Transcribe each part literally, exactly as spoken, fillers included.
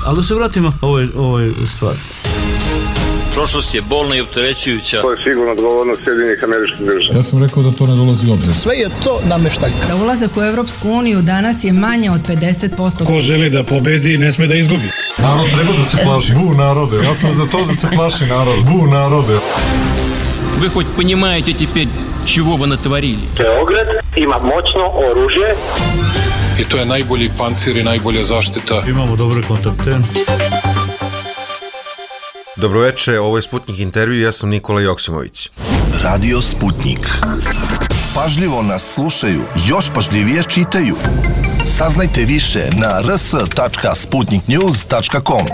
Ali da se vratimo ovoj, ovoj stvari. Prošlost je bolna i opterećujuća. To je sigurno odgovornost Sjedinjenih Američkih Država. Ja sam rekao da to ne dolazi u obzir. Sve je to nameštaljka. Za ulazak u Evropsku uniju danas je manje od pedeset posto. Ko želi da pobedi, ne sme da izgubi. Narod treba da se plaši. Bu narode. Ja sam za to da se plaši narod. Bu narode. Вы хоть понимаете теперь, чего вы натворили? Beograd ima moćno oružje. I to je najbolji pancir i najbolja zaštita. Imamo dobre kontakte. Dobroveče, ovo je Sputnik intervju, ja sam Nikola Joksimović. Radio Sputnik. Pažljivo nas slušaju, još pažljivije čitaju. Saznajte više na r s tačka sputnik news tačka com.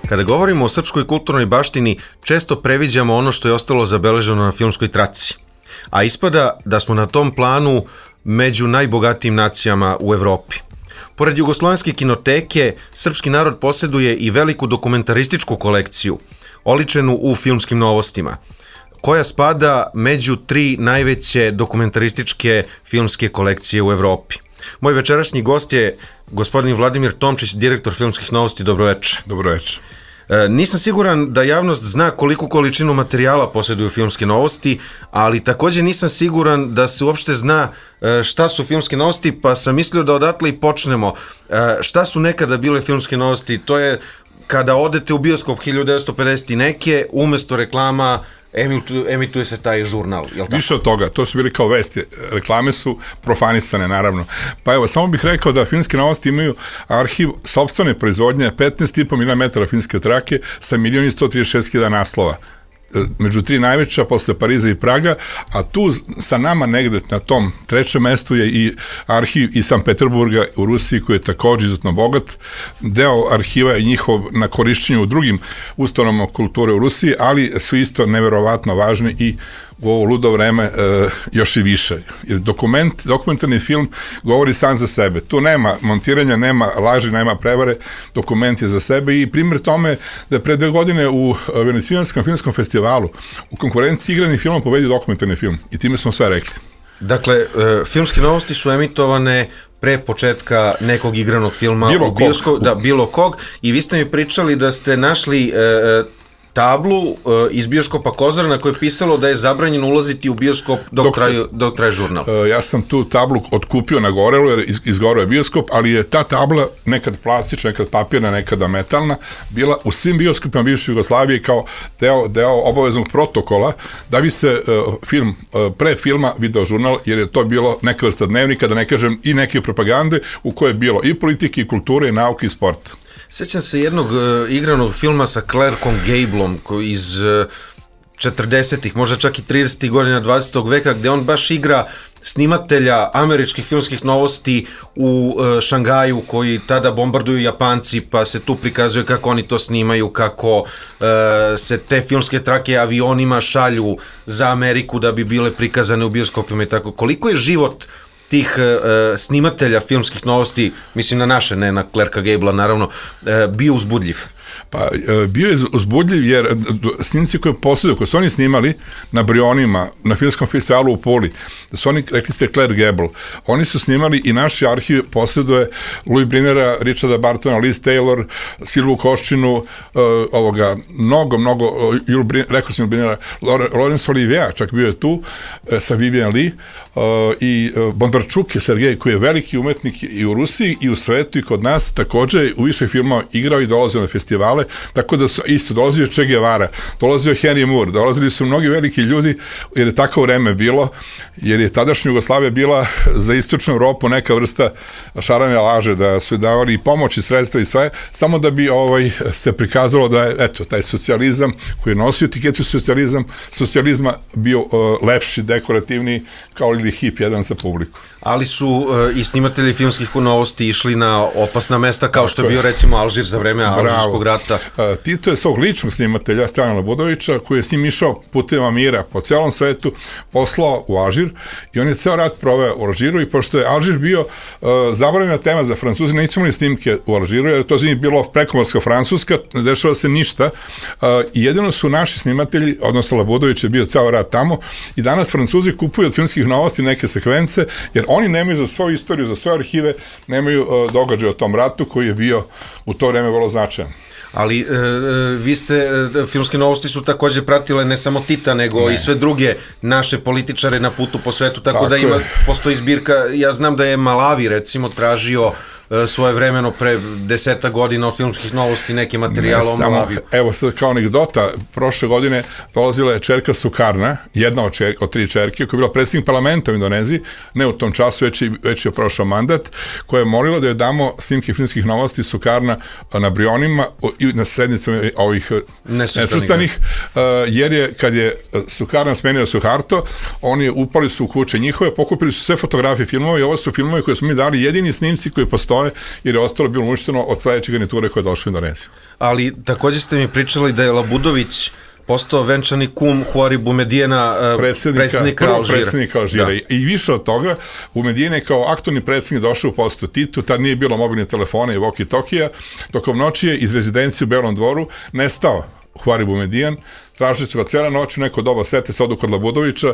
Kada govorimo o srpskoj kulturnoj baštini, često previđamo ono što je ostalo zabeleženo na filmskoj traci. A ispada da smo na tom planu među najbogatijim nacijama u Evropi. Pored jugoslovenske kinoteke, srpski narod posjeduje i veliku dokumentarističku kolekciju, oličenu u filmskim novostima, koja spada među tri najveće dokumentarističke filmske kolekcije u Evropi. Moj večerašnji gost je gospodin Vladimir Tomčić, direktor filmskih novosti. Dobroveče. Dobroveče. E, nisam siguran da javnost zna koliku količinu materijala posjeduju filmske novosti, ali također nisam siguran da se uopšte zna e, šta su filmske novosti, pa sam mislio da odatle i počnemo. E, šta su nekada bile filmske novosti? To je kada odete u bioskop hiljadu devetsto pedeset i neke, umjesto reklama emituje se taj žurnal. Više od toga, to su bili kao vesti. Reklame su profanisane, naravno. Pa evo, samo bih rekao da filmske novosti imaju arhiv sopstvene proizvodnje, petnaest i po miliona metara filmske trake sa milion i sto trideset šest hiljada naslova. Među tri najveća posle Pariza i Praga, a tu sa nama negde na tom trećem mestu je i arhiv iz Sankt Peterburga u Rusiji, koji je također izuzetno bogat. Deo arhiva je njihov na korišćenju u drugim ustanovama kulture u Rusiji, ali su isto neverovatno važni i u ovo ludo vreme e, još i više. Jer dokument, dokumentarni film govori sam za sebe. Tu nema montiranja, nema laži, nema prevare, dokument je za sebe i primjer tome da je pre dve godine u Venecijanskom filmskom festivalu u konkurenciji igrani film pobedio dokumentarni film i time smo sve rekli. Dakle, e, filmske novosti su emitovane pre početka nekog igranog filma bilo u bioskopu, da, bilo kog, i vi ste mi pričali da ste našli e, tablu uh, iz bioskopa Kozara na kojoj je pisalo da je zabranjeno ulaziti u bioskop dok, dok, traje, dok traje žurnal. Uh, ja sam tu tablu otkupio na Gorelu jer iz, izgoreo je bioskop, ali je ta tabla nekad plastična, nekad papirna, nekada metalna, bila u svim bioskopima bivše Jugoslavije kao deo, deo obaveznog protokola da bi se uh, film, uh, pre filma video žurnal, jer je to bilo neka vrsta dnevnika, da ne kažem i neke propagande u kojoj je bilo i politike, i kulture, i nauke, i sporta. Sjećam se jednog uh, igranog filma sa Clarkom Gableom koji iz uh, četrdesetih, možda čak i tridesetih godina dvadesetog veka, gde on baš igra snimatelja američkih filmskih novosti u uh, Šangaju, koji tada bombarduju Japanci, pa se tu prikazuje kako oni to snimaju, kako uh, se te filmske trake avionima šalju za Ameriku da bi bile prikazane u bioskopima i tako. Koliko je život tih uh, snimatelja filmskih novosti, mislim na naše, ne na Clarka Gablea, naravno, uh, bio uzbudljiv? Pa, bio je uzbudljiv jer snimci koje posleduju, koje su oni snimali na Brionima, na filmskom festivalu u Puli, da su oni, rekli ste Claire Gable, oni su snimali i naši arhiv posleduje Louis Brinera, Richarda Bartona, Liz Taylor, Silvu Koščinu, uh, ovoga, mnogo, mnogo, uh, rekao sam Louis Brinera, Laurence Olivier, čak bio je tu, uh, sa Vivian Lee, uh, i uh, Bondarčuk je Sergej, koji je veliki umetnik i u Rusiji, i u svetu, i kod nas, također u više filmova igrao i dolazio na festivale, tako da su isto dolazio Che Guevara, dolazio Henry Moore, dolazili su mnogi veliki ljudi, jer je tako vreme bilo, jer je tadašnja Jugoslavija bila za istočnu Evropu neka vrsta šarane laže, da su davali i pomoć i sredstva i sve, samo da bi ovaj se prikazalo da je, eto, taj socijalizam koji je nosio etiketu socijalizam, socijalizma bio uh, lepši, dekorativniji, kao ili hip jedan za publiku. Ali su uh, i snimatelji filmskih novosti išli na opasna mesta, kao što je bio recimo Alžir za vreme Alžirskog rata. Uh, Tito je svog ličnog snimatelja Stevana Budovića, koji je s njim išao putevima mira po celom svetu, poslao u Alžir i on je ceo rat proveo u Alžiru, i pošto je Alžir bio uh, zabranjena tema za Francuzi, nisu imali snimke u Alžiru, jer to za njih bilo prekomorska Francuska, ne dešava se ništa, uh, i jedino su naši snimatelji, odnosno Labudović je bio ceo rat tamo, i danas Francuzi kupuju od filmskih novosti neke sekvence, jer oni nemaju za svoju istoriju, za svoje arhive, nemaju uh, događaj o tom ratu koji je bio u to vreme vrlo značajan. Ali e, vi ste, e, filmske novosti su takođe pratile ne samo Tita, nego ne. i sve druge naše političare na putu po svetu, tako, tako da ima, postoji zbirka, ja znam da je Malavi recimo tražio e, svoje vremeno pre deseta godina od filmskih novosti neki materijal o Malavi. Evo sad kao anegdota, prošle godine dolazila je čerka Sukarna, jedna od, čer, od tri čerke, koja je bila predsjednik parlamenta u Indoneziji, ne u tom času, već je, već je prošao mandat, koja je molila da je damo snimke filmskih novosti Sukarna na Brionima i na sednicama ovih nesvrstanih, jer je, kad je Sukarna smenio Suharto, oni upali su u kuće njihove, pokupili su sve fotografije filmova i ovo su filmovi koje smo mi dali, jedini snimci koji postoje, jer je ostalo bilo uništeno od sledeće garniture koja je došla u Indoneziju. Ali takođe ste mi pričali da je Labudović postao venčani kum Huari Boumediena, predsjednika, predsjednika Alžira. Predsjednika Alžira. Da. I više od toga, Boumediene je kao aktualni predsjednik došao u postu Titu, tad nije bilo mobilnih telefona i walkie-talkija, tokom noći je iz rezidencije u Belom dvoru nestao Huari Boumedijen, tražili su ga cijela noć, u neko doba sete se odu kod Labudovića,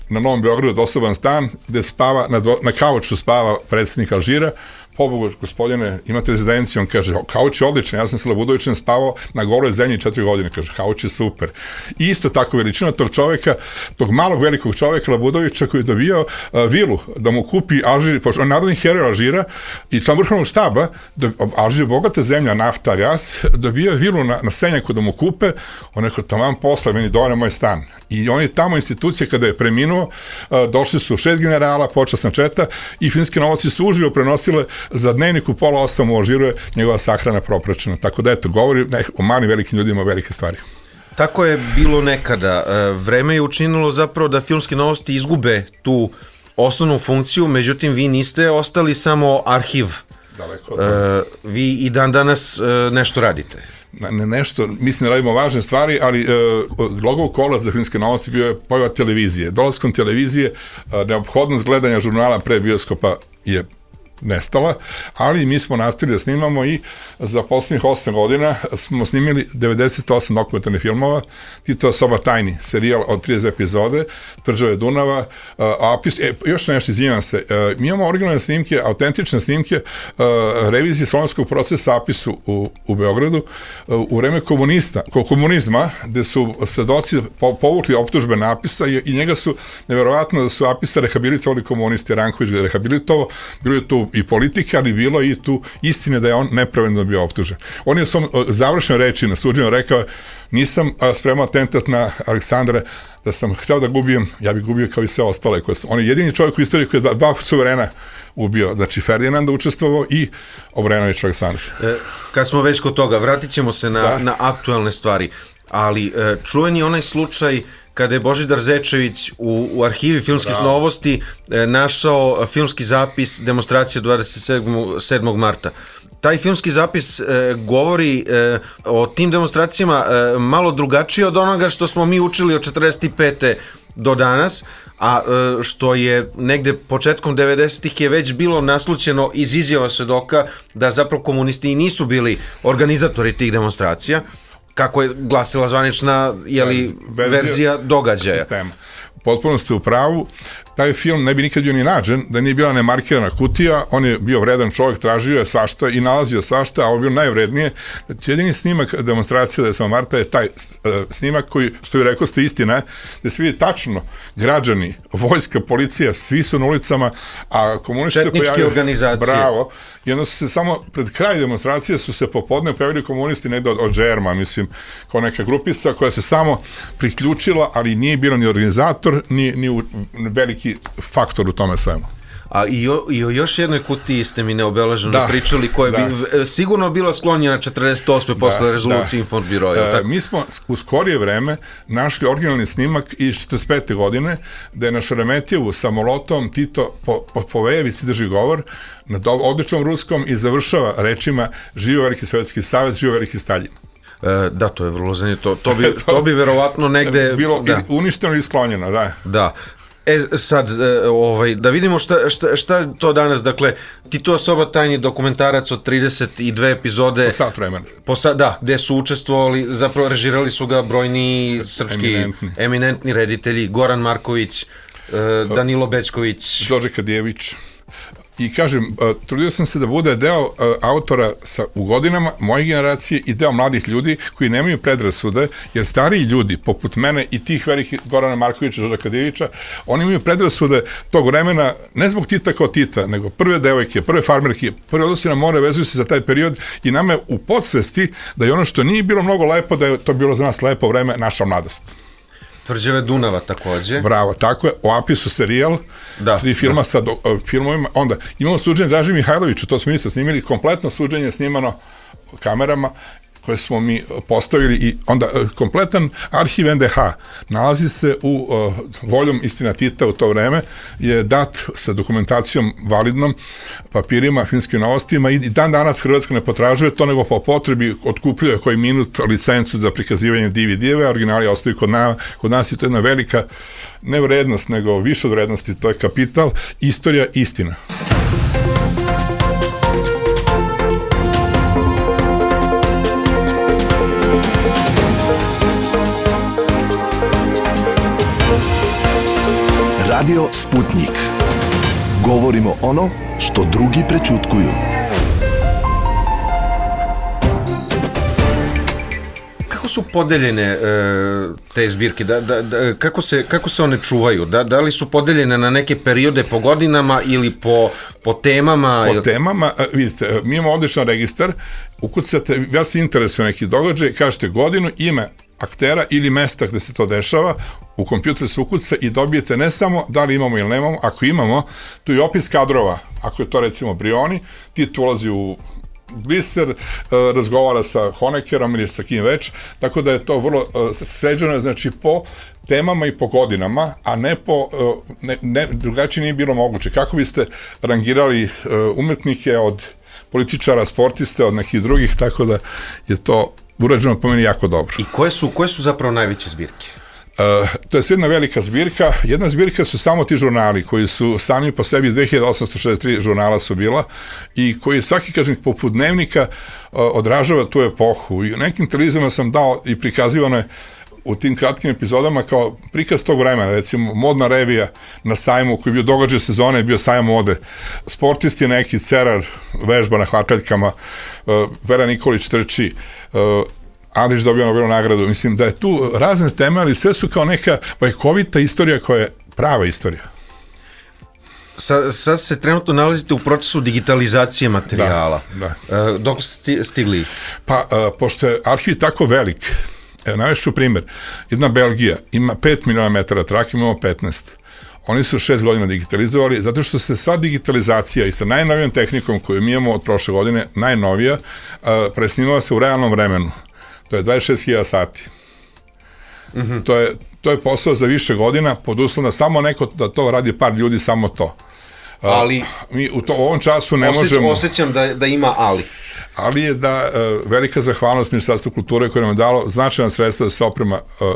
na Novom Beogradu dosoban stan, gde spava, na, dvo, na kauču spava predsjednik Alžira. Pobogu, gospodine, imate rezidenciju, on kaže, kauč je odličan, ja sam sa Labudovićem spavao na goloj zemlji četiri godine, kaže, kauč je super. I isto tako veličina tog čoveka, tog malog velikog čoveka Labudovića koji je dobio uh, vilu da mu kupi Alžir, pošto on je narodni heroj Alžira i član vrhovnog štaba, do, Alžir je bogata zemlja, nafta, gas, dobio vilu na, na Senjaku da mu kupe, on je rekao, taman posla, meni dovoljno moj stan. I on je tamo institucija kada je preminuo, uh, došli su šest generala, počasna četa i filmske novosti su uživo prenosile za dnevnik u pola osam u Alžiru je njegova sahrana propraćena. Tako da eto, govori ne, o malim velikim ljudima o velike stvari. Tako je bilo nekada. Vreme je učinilo zapravo da filmske novosti izgube tu osnovnu funkciju, međutim vi niste ostali samo arhiv. Daleko. E, vi i dan danas nešto radite. Ne, nešto, mislim da radimo važne stvari, ali e, logov kolac za filmske novosti bio je pojava televizije. Dolaskom televizije, e, neophodnost gledanja žurnala pre bioskopa je nestala, ali mi smo nastavili da snimamo i za poslednjih osam godina smo snimili devedeset osam dokumentarnih filmova, Titova soba tajni, serijal od trideset epizode, Tvrđave Dunava, uh, Apis, e, još nešto, izvinjam se, uh, mi imamo originalne snimke, autentične snimke uh, revizije slovenskog procesa Apisu u, u Beogradu uh, u vreme komunista, komunizma, gde su svedoci po, povukli optužbe na Apisa i, i njega su, neverovatno da su Apisa rehabilitovali komunisti, Ranković ga je rehabilitovao, bilo je tu i politike, ali bilo i tu istine da je on nepravedno bio optužen. On je u svom završnoj reči na suđenju rekao, nisam spremao atentat na Aleksandra, da sam hteo da gubijem, ja bih gubio kao i sve ostale. Koje sam. On je jedini čovjek u istoriji koji je dva suverena ubio, znači Ferdinanda učestvovao i Obrenović Aleksandar. E, kad smo već kod toga, vratit ćemo se na, na aktualne stvari, ali e, čuven je onaj slučaj kada je Božidar Zečević u, u arhivi filmskih da. novosti e, našao filmski zapis demonstracije dvadeset sedmog marta. Taj filmski zapis e, govori e, o tim demonstracijama e, malo drugačije od onoga što smo mi učili od četrdeset pete do danas, a e, što je negde početkom devedesetih je već bilo naslućeno iz izjava svedoka da zapravo komunisti i nisu bili organizatori tih demonstracija, kako je glasila zvanična jeli, verzija, verzija događaja. Sistema. Potpuno ste u pravu. Taj film ne bi nikad bio ni nađen da nije bila nemarkirana kutija, on je bio vredan čovjek, tražio je svašta i nalazio svašta, a ovo je bilo najvrednije. Znači, jedini snimak demonstracije devetog marta je taj uh, snimak koji, što je rekao ste istina, da se vidi tačno građani, vojska, policija, svi su na ulicama, a komunisti se pojavili... organizacije. Bravo. I onda su se samo pred kraj demonstracije su se popodne pojavili komunisti negde od, od Džerma, mislim, kao neka grupica koja se samo priključila, ali nije bilo ni organizator, ni, ni u, veliki faktor u tome svemu. A i o, i o još jednoj kutiji ste mi neobeleženo da, pričali, koja da. bi sigurno bila sklonjena četrdeset osme posle da, rezolucije da. Infobiroja. E, mi smo u skorije vreme našli originalni snimak iz četrdeset pete godine, da je na Šeremetijevu sa molotom Tito po, po, po Vejevici drži govor na do, odličnom ruskom i završava rečima živio Veliki Sovjetski savez, živio Veliki Staljin. E, da, to je vrlo zanimljivo. To, to, bi, to bi verovatno negde... Bilo da. uništeno i sklonjeno, da. Da. E sad, e, ovaj, da vidimo šta, šta, šta je to danas, dakle, Titova soba tajni dokumentarac od trideset dve epizode. Po sat vremena. Po sat, da, gde su učestvovali, zapravo režirali su ga brojni srpski eminentni, eminentni reditelji, Goran Marković, uh, Danilo Bečković, Đorđe Kadijević. I kažem, uh, trudio sam se da bude deo uh, autora sa, u godinama moje generacije i deo mladih ljudi koji nemaju predrasude, jer stariji ljudi, poput mene i tih velikih Gorana Markovića, Đorđa Kadijevića, oni imaju predrasude tog vremena, ne zbog Tita kao Tita, nego prve devojke, prve farmerke, prve odnosi na more vezuju se za taj period i nama je u podsvesti da je ono što nije bilo mnogo lepo, da je to bilo za nas lepo vreme, naša mladost. Tvrđave Dunava takođe. Bravo, tako je. O Apisu serijal, da, tri filma da. sa do, uh, filmovima. Onda imamo suđenje Draži Mihajloviću, to smo isto snimili, kompletno suđenje snimano kamerama koje smo mi postavili i onda uh, kompletan arhiv en de ha nalazi se u uh, voljom Istina Tita u to vreme, je dat sa dokumentacijom validnom, papirima, filmskim novostima i dan danas Hrvatska ne potražuje to, nego po potrebi otkupljuje koji minut licencu za prikazivanje D V D-eve, originali ostaju kod, na, kod nas i to je jedna velika ne vrednost, nego više od vrednosti, to je kapital, istorija, istina. Radio Sputnik. Govorimo ono što drugi prećutkuju. Kako su podeljene e, te zbirke? Da, da, da, kako, se, kako se one čuvaju? Da, da li su podeljene na neke periode po godinama ili po, po temama? Po temama, vidite, mi imamo odličan registar, ukucate, ja se interesujem neki događaj, kažete godinu, ime aktera ili mesta gde se to dešava, u kompjuter se ukuca i dobijete ne samo da li imamo ili nemamo, ako imamo, tu je opis kadrova, ako je to recimo Brioni, ti tu ulazi u Gliser, razgovara sa Honeckerom ili sa kim već, tako da je to vrlo sređeno, znači po temama i po godinama, a ne po, ne, ne, drugačije nije bilo moguće. Kako biste rangirali umetnike od političara, sportiste, od nekih drugih, tako da je to urađeno po meni jako dobro. I koje su, koje su zapravo najveće zbirke? Uh, to je sve jedna velika zbirka. Jedna zbirka su samo ti žurnali koji su sami po sebi dve hiljade osamsto šezdeset tri žurnala su bila i koji svaki, kažem, poput dnevnika uh, odražava tu epohu. I u nekim televizijama sam dao i prikazivano je u tim kratkim epizodama kao prikaz tog vremena, recimo modna revija na sajmu koji je bio događaj sezone, je bio sajam mode. Sportisti neki, Cerar, vežba na hvataljkama, uh, Vera Nikolić trči, uh, Andrić dobio Nobelovu nagradu. Mislim da je tu razne teme, ali sve su kao neka bajkovita istorija koja je prava istorija. Sa, sad se trenutno nalazite u procesu digitalizacije materijala. Da, da. Uh, dok ste stigli? Pa, uh, pošto je arhiv tako velik, evo, navešću primjer, jedna Belgija ima pet miliona metara trake, imamo petnaest. Oni su šest godina digitalizovali, zato što se sva digitalizacija i sa najnovijom tehnikom koju mi imamo od prošle godine, najnovija, uh, presnimava se u realnom vremenu. To je dvadeset šest hiljada sati. Mm-hmm. To je, to je posao za više godina, pod uslovom da samo neko, da to radi par ljudi, samo to. Ali, uh, mi u, to, u ovom času ne osjećam, možemo... Osjećam da, da ima ali. Ali je da uh, velika zahvalnost Ministarstvu kulture koje nam je dalo značajna sredstva da se oprema uh,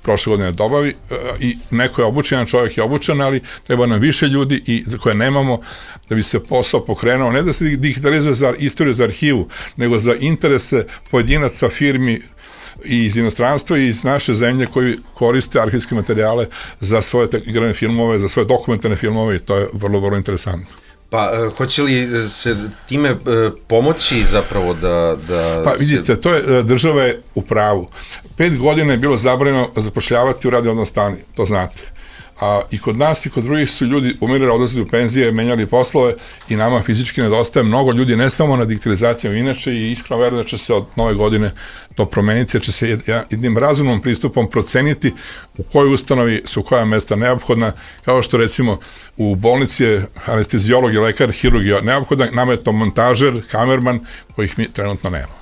prošle godine dobavi uh, i neko je obučen, jedan čovjek je obučen, ali treba nam više ljudi i za koje nemamo da bi se posao pokrenuo, ne da se digitalizuje za istoriju, za arhivu, nego za interese pojedinaca, firmi i iz inostranstva i iz naše zemlje koji koriste arhivske materijale za svoje igrane filmove, za svoje dokumentarne filmove i to je vrlo, vrlo interesantno. Pa, uh, hoće li se time uh, pomoći zapravo da... da pa vidite, se... to je, država je u pravu. Pet godina je bilo zabranjeno zapošljavati u radni odnos stani, to znate. A, i kod nas i kod drugih su ljudi umirali, odlazili u penzije, menjali poslove i nama fizički nedostaje mnogo ljudi, ne samo na digitalizacijom, inače i iskreno verujem da će se od nove godine to promeniti, da će se jednim razumnom pristupom proceniti u kojoj ustanovi su koja mesta neophodna, kao što recimo u bolnici je anestezijolog i lekar, hirurg je neophodan, nama je to montažer, kamerman, kojih mi trenutno nemamo.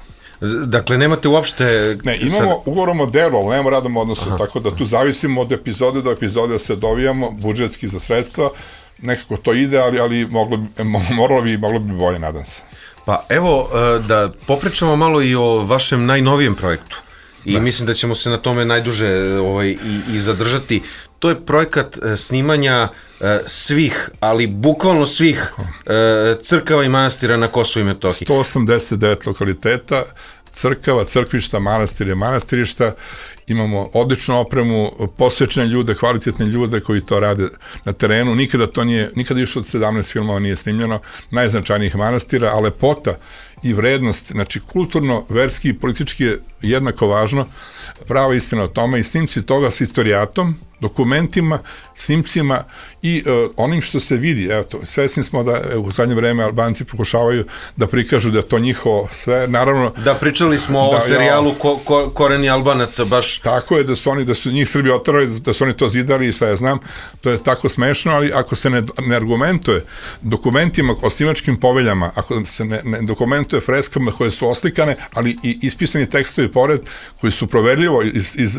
Dakle, nemate uopšte... Ne, imamo ugovorom o delu, ali nemamo radom odnosu, aha, tako da tu zavisimo od epizode do epizode da se dovijamo, budžetski za sredstva, nekako to ide, ali, ali moglo bi, moralo bi, moglo bi bolje, nadam se. Pa evo, da popričamo malo i o vašem najnovijem projektu. I da. Mislim da ćemo se na tome najduže ovaj, i, i zadržati. To je projekat snimanja e, svih, ali bukvalno svih e, crkava i manastira na Kosovu i Metohiji. sto osamdeset devet lokaliteta, crkava, crkvišta, manastire, manastirišta imamo odličnu opremu, posvećene ljude, kvalitetne ljude koji to rade na terenu. Nikada to nije, nikada više od sedamnaest filmova nije snimljeno, najznačajnijih manastira, a lepota i vrednost, znači kulturno, verski i politički je jednako važno, prava istina o tome i snimci toga s historijatom, dokumentima, snimcima i uh, onim što se vidi. Evo to, svesni smo da evo, u zadnje vreme Albanci pokušavaju da prikažu da je to njihovo sve, naravno... Da, pričali smo da, o serijalu ko, ko, Koreni Albanaca, baš... Tako je, da su oni, da su njih Srbi oterali, da su oni to zidali i sve ja znam, to je tako smešno, ali ako se ne, ne argumentuje dokumentima o snimačkim poveljama, ako se ne, ne dokumentuje freskama koje su oslikane, ali i ispisani tekstovi pored, koji su proverljivo iz, iz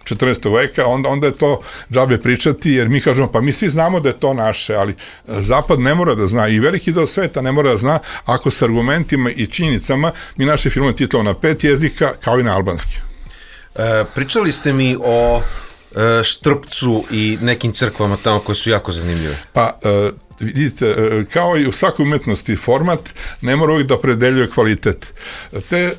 četrnaestog veka, onda, onda je to džabe pričati, jer mi kažemo, pa mi svi znamo da je to naše, ali Zapad ne mora da zna i veliki deo sveta ne mora da zna ako sa argumentima i činjenicama mi naše filmove titlamo na pet jezika kao i na albanski. E, pričali ste mi o e, Štrpcu i nekim crkvama tamo koje su jako zanimljive. Pa, e, vidite, kao i u svakoj umetnosti format ne mora uvijek da opredeljuje kvalitet. Te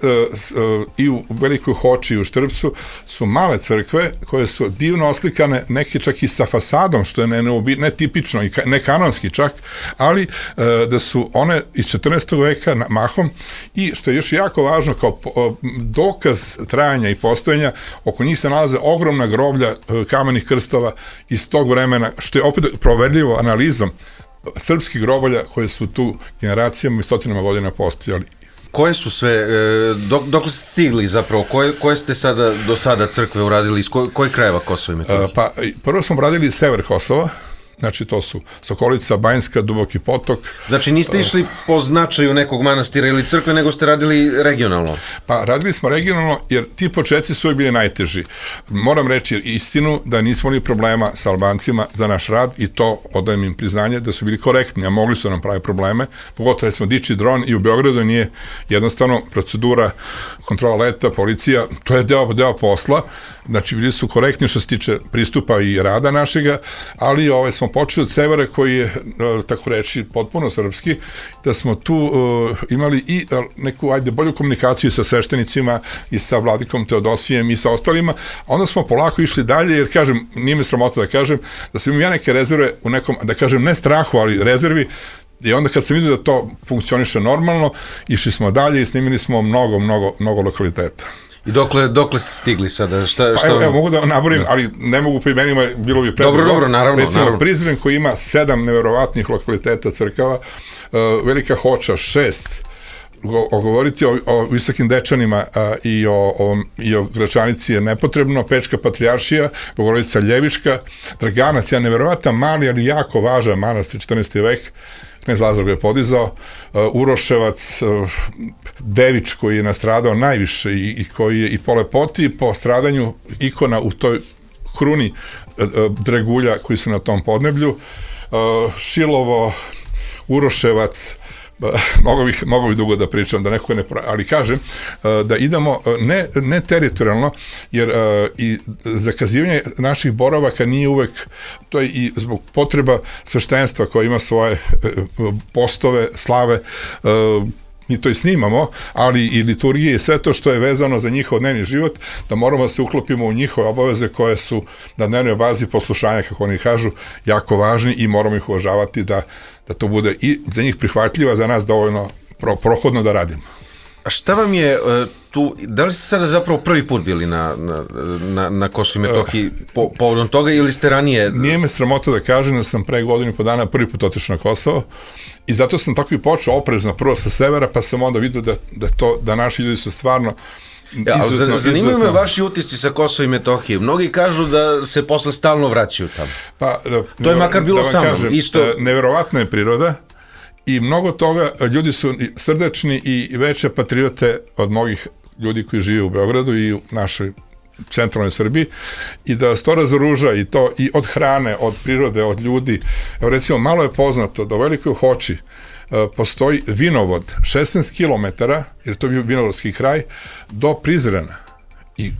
i u Velikoj Hoči i u Štrpcu su male crkve koje su divno oslikane, neke čak i sa fasadom, što je ne, ne tipično i ne kanonski čak, ali da su one iz četrnaestog veka mahom i što je još jako važno kao dokaz trajanja i postojanja, oko njih se nalaze ogromna groblja kamenih krstova iz tog vremena, što je opet proverljivo analizom srpskih grobalja koje su tu generacijama i stotinama godina postojali. Koje su sve, dok, dok ste stigli zapravo, koje, koje ste sada do sada crkve uradili, iz koj, koji krajeva Kosova i Metohije? Pa prvo smo uradili sever Kosova, znači to su Sokolica, Banjska, Duboki potok. Znači niste išli po značaju nekog manastira ili crkve, nego ste radili regionalno? Pa radili smo regionalno jer ti početci su bili najteži. Moram reći istinu da nismo imali problema sa Albancima za naš rad i to odajem im priznanje da su bili korektni, a mogli su nam pravi probleme. Pogotovo smo diči dron i u Beogradu nije jednostavno procedura, kontrola leta, policija, to je deo, deo posla. Znači bili su korektni što se tiče pristupa i rada našega, ali ovaj smo počeli od severa koji je, tako reći, potpuno srpski, da smo tu uh, imali i neku, ajde, bolju komunikaciju sa sveštenicima i sa vladikom Teodosijem i sa ostalima, a onda smo polako išli dalje, jer kažem, nije mi sramota da kažem, da sam imao ja neke rezerve u nekom, da kažem, ne strahu, ali rezervi, i onda kad sam vidio da to funkcioniše normalno, išli smo dalje i snimili smo mnogo, mnogo, mnogo lokaliteta. I dokle, dokle ste stigli sada? Šta, šta... Pa evo, evo, mogu da naborim, ali ne mogu po imenima, bilo bi predobro. Dobro, dobro, naravno. Recimo, naravno. Prizren koji ima sedam neverovatnih lokaliteta crkava, uh, Velika Hoča šest, govoriti o, o Visokim Dečanima a, i, o, o, i o Gračanici je nepotrebno, Pečka Patrijaršija, Bogorodica Ljeviška, Draganac, ja neverovatan mali, ali jako važan manastir, četrnaesti vek, knez Lazar ga je podizao, uh, Uroševac, uh, Devič koji je nastradao najviše i, i koji je i po lepoti i po stradanju ikona u toj kruni uh, uh, dragulja koji su na tom podneblju, uh, Šilovo, Uroševac, mogu bih, mogu bih dugo da pričam, da neko ne pra... ali kažem da idemo ne, ne teritorijalno, jer i zakazivanje naših boravaka nije uvek, to je i zbog potreba sveštenstva koje ima svoje postove, slave, mi to i snimamo, ali i liturgije i sve to što je vezano za njihov dnevni život, da moramo da se uklopimo u njihove obaveze koje su na dnevnoj bazi poslušanja, kako oni kažu, jako važni i moramo ih uvažavati da, da to bude i za njih prihvatljivo, za nas dovoljno pro, prohodno da radimo. A šta vam je uh, tu, da li ste sada zapravo prvi put bili na, na, na, na Kosovu i Metohiji po, povodom toga ili ste ranije... Nije me sramota da kažem da sam pre godinu i po dana prvi put otišao na Kosovo i zato sam tako i počeo oprezno prvo sa severa, pa sam onda vidio da, da, to, da naši ljudi su stvarno... Ja, izuzetno, zanimaju me vaši utisci sa Kosova i Metohije. Mnogi kažu da se posle stalno vraćaju tamo. Pa, da, to je makar bilo da sa mnom. Kažem, isto... Neverovatna je priroda i mnogo toga, ljudi su srdačni i veće patriote od mnogih ljudi koji žive u Beogradu i u našoj centralnoj Srbiji i da vas to razoruža i to i od hrane, od prirode, od ljudi. Evo recimo, malo je poznato da u Velikoj Hoči uh, postoji vinovod šesnaest kilometara, jer to je bio vinovodski kraj, do Prizrena i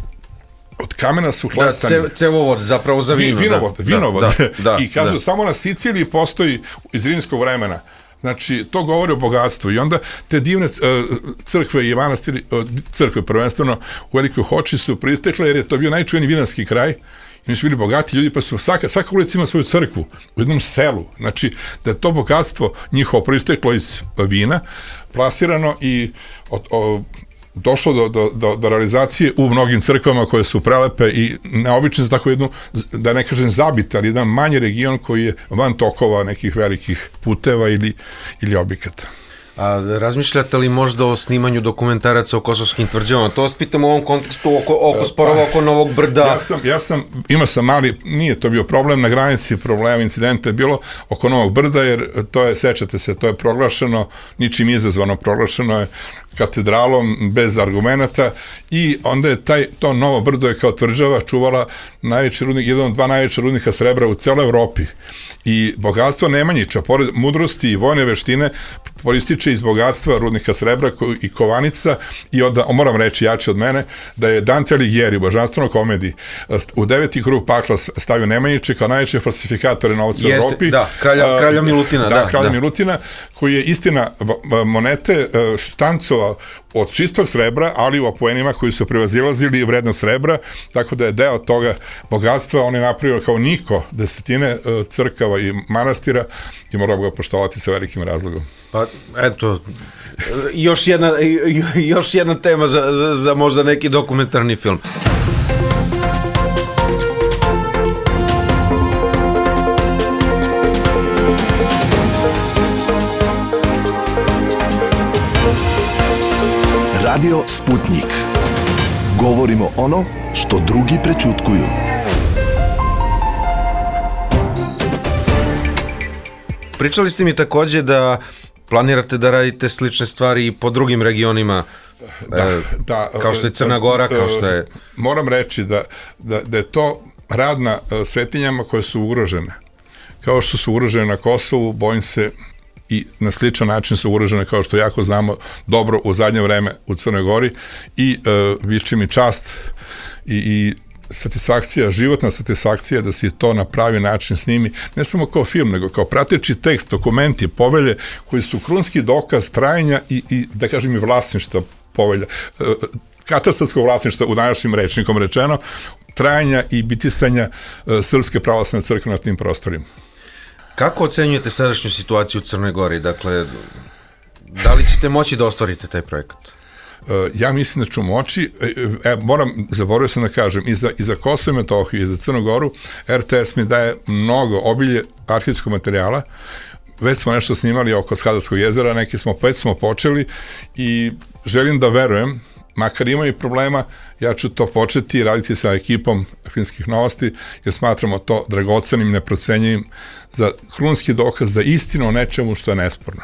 od kamena su hlestani. Da, cevovod zapravo za vino. Vinovod, da, vinovod. Da, da, I kažu, da. samo na Siciliji postoji iz rimskog vremena Znači, to govori o bogatstvu i onda te divne uh, crkve i manastiri, uh, crkve prvenstveno u Velikoj Hoči su pristekle jer je to bio najčuveniji vinarski kraj. I oni su bili bogati ljudi, pa su svaka, svaka ulica ima svoju crkvu u jednom selu. Znači, da je to bogatstvo njihovo proisteklo iz vina, plasirano i od, od, došlo do, do, do, do realizacije u mnogim crkvama koje su prelepe i neobične za tako jednu, da ne kažem zabit, ali jedan manji region koji je van tokova nekih velikih puteva ili, ili objekata. A razmišljate li možda o snimanju dokumentaraca o kosovskim tvrđavama? To vas pitam u ovom kontekstu oko, oko sporova oko Novog Brda. Ja sam, ja sam, imao sam mali, nije to bio problem, na granici problema, incidenta je bilo oko Novog Brda, jer to je, sećate se, to je proglašeno, ničim izazvano, proglašeno je katedralom bez argumenata i onda je taj, to Novo Brdo je kao tvrđava čuvala najveći rudnik, jedan od dva najveća rudnika srebra u celoj Evropi. I bogatstvo Nemanjića, pored mudrosti i vojne veštine, porističe iz bogatstva rudnika srebra i kovanica i onda, moram reći jače od mene, da je Dante Alighieri u Božanstvenoj komediji u deveti krug pakla stavio Nemanjiće kao najveće falsifikatore novca u Evropi. Da, kralja, kralja Milutina. Da, da kralja da. Milutina, koji je istina monete štancova od čistog srebra, ali u apoenima koji su prevazilazili vrednost srebra, tako da je deo toga bogatstva on je napravio kao niko desetine crkava i manastira i morao ga poštovati sa velikim razlogom. Pa, eto, još jedna, još jedna tema za, za, za možda neki dokumentarni film. Radio Sputnik. Govorimo ono što drugi prećutkuju. Pričali ste mi takođe da planirate da radite slične stvari i po drugim regionima, da, da, kao što je Crna Gora, kao što je... Moram reći da, da, da je to rad na svetinjama koje su ugrožene. Kao što su ugrožene na Kosovu, bojim se i na sličan način su ugrožene, kao što jako znamo dobro u zadnje vreme u Crnoj Gori i e, viče mi čast i, i satisfakcija, životna satisfakcija da se to na pravi način snimi, ne samo kao film, nego kao prateći tekst, dokumenti, povelje koji su krunski dokaz trajanja i, i da kažem i vlasništva povelja, e, katastarskog vlasništva u današnjim rečnikom rečeno, trajanja i bitisanja e, Srpske pravoslavne crkve na tim prostorima. Kako ocenjujete sadašnju situaciju u Crnoj Gori? Dakle, da li ćete moći da ostvarite taj projekat? Ja mislim da ću moći, e, moram, zaboravio sam da kažem, i za, i za Kosovo i Metohiju, i za Crnu Goru, R T S mi daje mnogo obilje arhivskog materijala, već smo nešto snimali oko Skadarskog jezera, neki smo, već smo počeli i želim da verujem, makar imaju problema, ja ću to početi raditi sa ekipom Filmskih novosti, jer smatramo to dragocenim, neprocenjivim za krunski dokaz, za istinu o nečemu što je nesporno.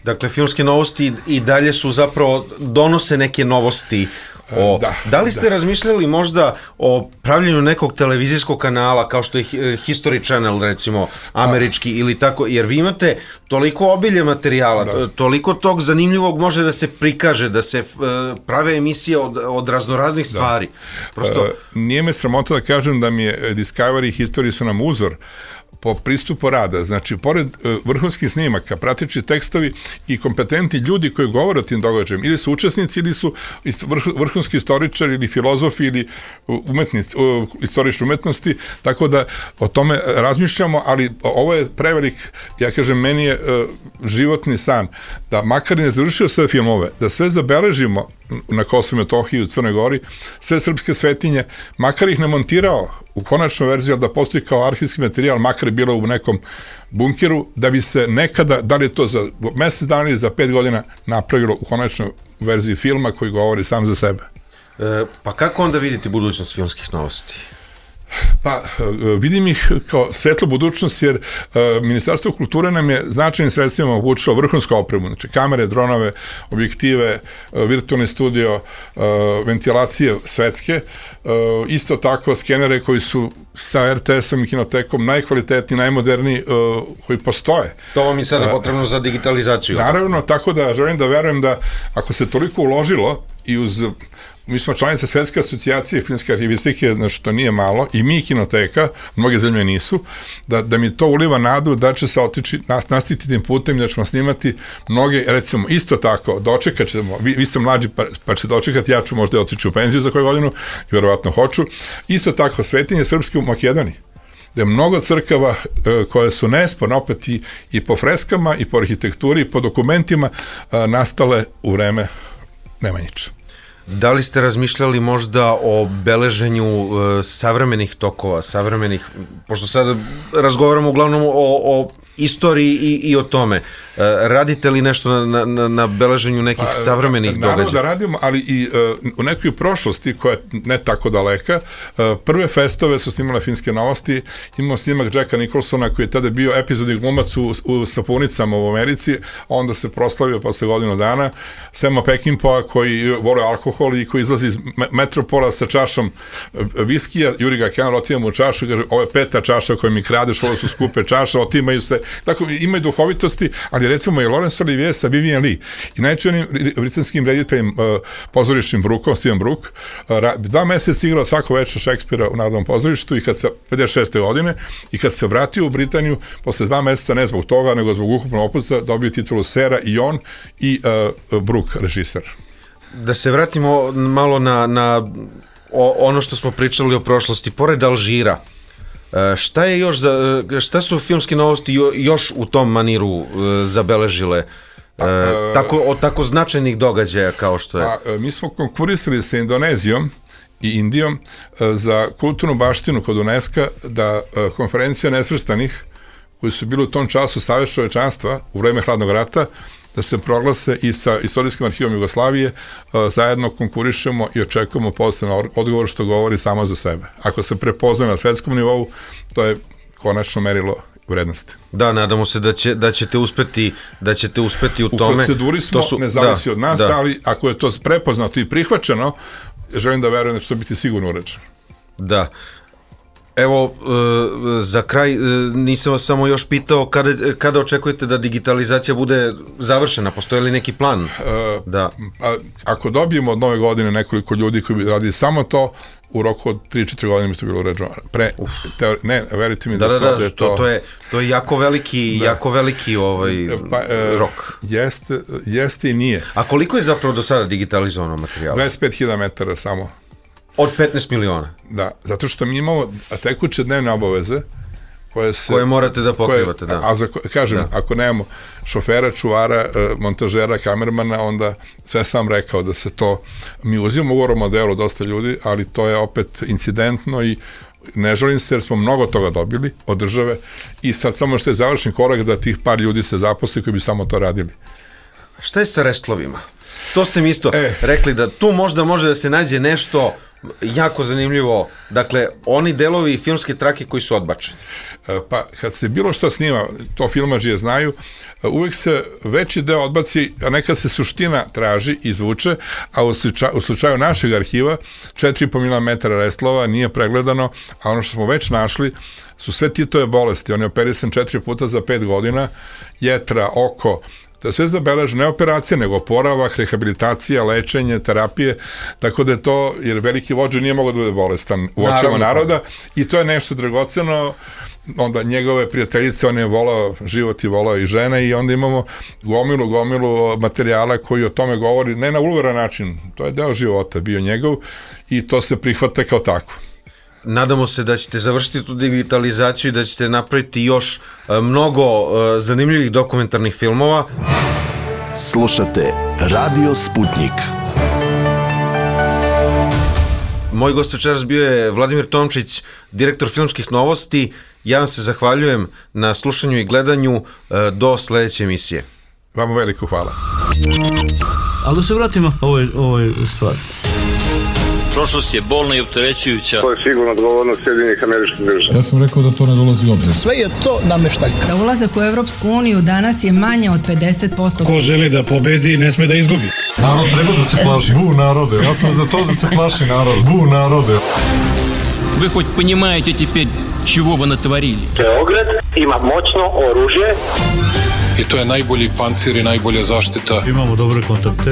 Dakle, Filmske novosti i dalje su zapravo, donose neke novosti. O, da, da li ste da. razmišljali možda o pravljenju nekog televizijskog kanala kao što je History Channel, recimo, američki, a, ili tako, jer vi imate toliko obilje materijala, da. toliko tog zanimljivog može da se prikaže, da se uh, prave emisije od, od raznoraznih stvari. Da. Prosto... Uh, nije me sramota da kažem da mi je Discovery i History su nam uzor po pristupu rada, znači, pored uh, vrhunskih snimaka, prateći tekstovi i kompetentni ljudi koji govore o tim događajima, ili su učesnici, ili su ist, vrh, vrhunski istoričari, ili filozofi, ili umetnici, uh, istorični umetnosti, tako da o tome razmišljamo, ali ovo je prevelik, ja kažem, meni je uh, životni san, da makar ne završio sve filmove, da sve zabeležimo na Kosovu i Metohiji, u Crnoj Gori, sve srpske svetinje, makar ih ne montirao u konačnu verziju, ali da postoji kao arhivski materijal, makar je bilo u nekom bunkeru, da bi se nekada, da li je to za mesec dana ili za pet godina, napravilo u konačnoj verziji filma koji govori sam za sebe. E, pa kako onda vidite budućnost Filmskih novosti? Pa, vidim ih kao svetlu budućnost, jer uh, Ministarstvo kulture nam je značajnim sredstvima obučilo vrhunsku opremu, znači kamere, dronove, objektive, uh, virtualni studio, uh, ventilacije svetske, uh, isto tako skenere koji su sa er te esom i kinotekom najkvalitetniji, najmoderniji uh, koji postoje. To vam je sada potrebno za digitalizaciju. Naravno, tako da želim da verujem da ako se toliko uložilo i uz, mi smo članice Svetske asocijacije filmske arhivistike, znači to nije malo, i mi kinoteka, mnoge zemlje nisu, da, da mi to uliva nadu da će se otići, nastaviti tim putem, da ćemo snimati mnoge, recimo, isto tako, dočekat ćemo, vi, vi ste mlađi pa, pa ćete dočekati, ja ću možda otići u penziju za koju godinu, i verovatno hoću, isto tako, svetinje srpske u Makedoniji, da je mnogo crkava e, koje su nesporno opet i, i po freskama, i po arhitekturi, i po dokumentima e, nastale u vreme Nemanjića. Da li ste razmišljali možda o beleženju e, savremenih tokova, savremenih, pošto sad razgovaramo uglavnom o, o istoriji i, i o tome. E, radite li nešto na, na, na beleženju nekih pa, savremenih događaja? Naravno da radimo, ali i uh, u nekoj prošlosti koja je ne tako daleka, uh, prve festove su snimale Filmske novosti, imamo snimak Jacka Nicholsona koji je tada bio epizodni glumac u, u Sapunicama u Americi, a onda se proslavio posle godinu dana, Sema Peckinpah koji vole alkohol i koji izlazi iz metropola sa čašom viskija, Juri ga Kenan otima mu čašu i kaže, ovo je peta čaša koju mi kradeš, ovo su skupe čaše, otimaju se, tako imaju duhovitosti, ali recimo je Laurence Olivier sa Vivien Leigh i najčuvenijim britanskim rediteljem uh, pozorišnim Brookom, Steven Brook, uh, dva meseca igrao svako večer Šekspira u Narodnom pozorištu i kad se pedeset šeste godine i kad se vratio u Britaniju, posle dva meseca ne zbog toga, nego zbog ukupnog opusta, dobio titulu sera i on i uh, Brook, režiser. Da se vratimo malo na, na o, ono što smo pričali o prošlosti, pored Alžira, šta je još za, šta su Filmske novosti još u tom maniru uh, zabeležile uh, tako, od tako značajnih događaja kao što je? Pa, mi smo konkurisali sa Indonezijom i Indijom uh, za kulturnu baštinu kod UNESCO da uh, konferencija nesvrstanih koji su bili u tom času Savez čovečanstva u vreme Hladnog rata da se proglase i sa Istorijskim arhivom Jugoslavije, zajedno konkurišemo i očekujemo posebno odgovor što govori samo za sebe. Ako se prepozna na svetskom nivou, to je konačno merilo vrednosti. Da, nadamo se da, će, da ćete uspeti da ćete uspeti u, u tome. U proceduri smo, to su, ne zavisi da, od nas, da. Ali ako je to prepoznato i prihvaćeno, želim da verujem da će to biti sigurno urađeno. Da. Evo, za kraj, nisam vas samo još pitao kada, kada očekujete da digitalizacija bude završena, postoji li neki plan? Da. A, ako dobijemo od nove godine nekoliko ljudi koji bi radili samo to, u roku od tri četiri godine bi to bilo uređeno. Pre, teori, ne, verite mi da, da, to, da, da je to... to... To je, to je jako veliki, da. jako veliki ovaj, pa, e, rok. Jeste, jeste i nije. A koliko je zapravo do sada digitalizovano materijala? dvadeset pet hiljada metara samo. Od petnaest miliona? Da, zato što mi imamo tekuće dnevne obaveze koje se... Koje morate da pokrivate, koje, da. A, a za, kažem, da. Ako nemamo šofera, čuvara, montažera, kamermana, onda sve sam rekao da se to... Mi uzimamo ugovor o modelu dosta ljudi, ali to je opet incidentno i ne želim se jer smo mnogo toga dobili od države i sad samo što je završen korak da tih par ljudi se zaposli koji bi samo to radili. Šta je sa restlovima? To ste mi isto e. rekli da tu možda može da se nađe nešto jako zanimljivo, dakle, oni delovi filmske trake koji su odbačeni. Pa, kad se bilo šta snima, to filmađije znaju, uvek se veći deo odbaci, a neka se suština traži, izvuče, a u slučaju, u slučaju našeg arhiva četiri i po milimetra restlova nije pregledano, a ono što smo već našli su sve Titove bolesti, on je operisan četiri puta za pet godina, jetra, oko, to je sve zabeleženo, ne operacija, nego oporavak, rehabilitacija, lečenje, terapije, tako da je to, jer veliki vođa nije mogao da bude bolestan u očima naroda i to je nešto dragoceno, onda njegove prijateljice, on je volao život i volao i žene i onda imamo gomilu, gomilu materijala koji o tome govori, ne na vulgaran način, to je deo života bio njegov i to se prihvata kao tako. Nadamo se da ćete završiti tu digitalizaciju i da ćete napraviti još mnogo zanimljivih dokumentarnih filmova. Slušate Radio Sputnik. Moj gost večeras bio je Vladimir Tomčić, direktor Filmskih novosti. Ja vam se zahvaljujem na slušanju i gledanju. Do sledeće emisije. Vama veliko hvala. Ali da se vratimo ovoj, ovoj stvari. Prošlost je bolna i opterećujuća. To je sigurno odgovornost Sjedinjenih Američkih Država. Ja sam rekao da to ne dolazi u obzir. Sve je to nameštaljka. Za ulazak u Evropsku uniju danas je manje od pedeset posto. Ko želi da pobedi, ne sme da izgubi. Narod treba da se plaši. Bu narode. Ja sam za to da se plaši narod. Bu narode. Вы хоть понимаете теперь, чего вы натворили? Beograd ima moćno oružje. I to je najbolji pancir i najbolja zaštita. Imamo dobre kontakte.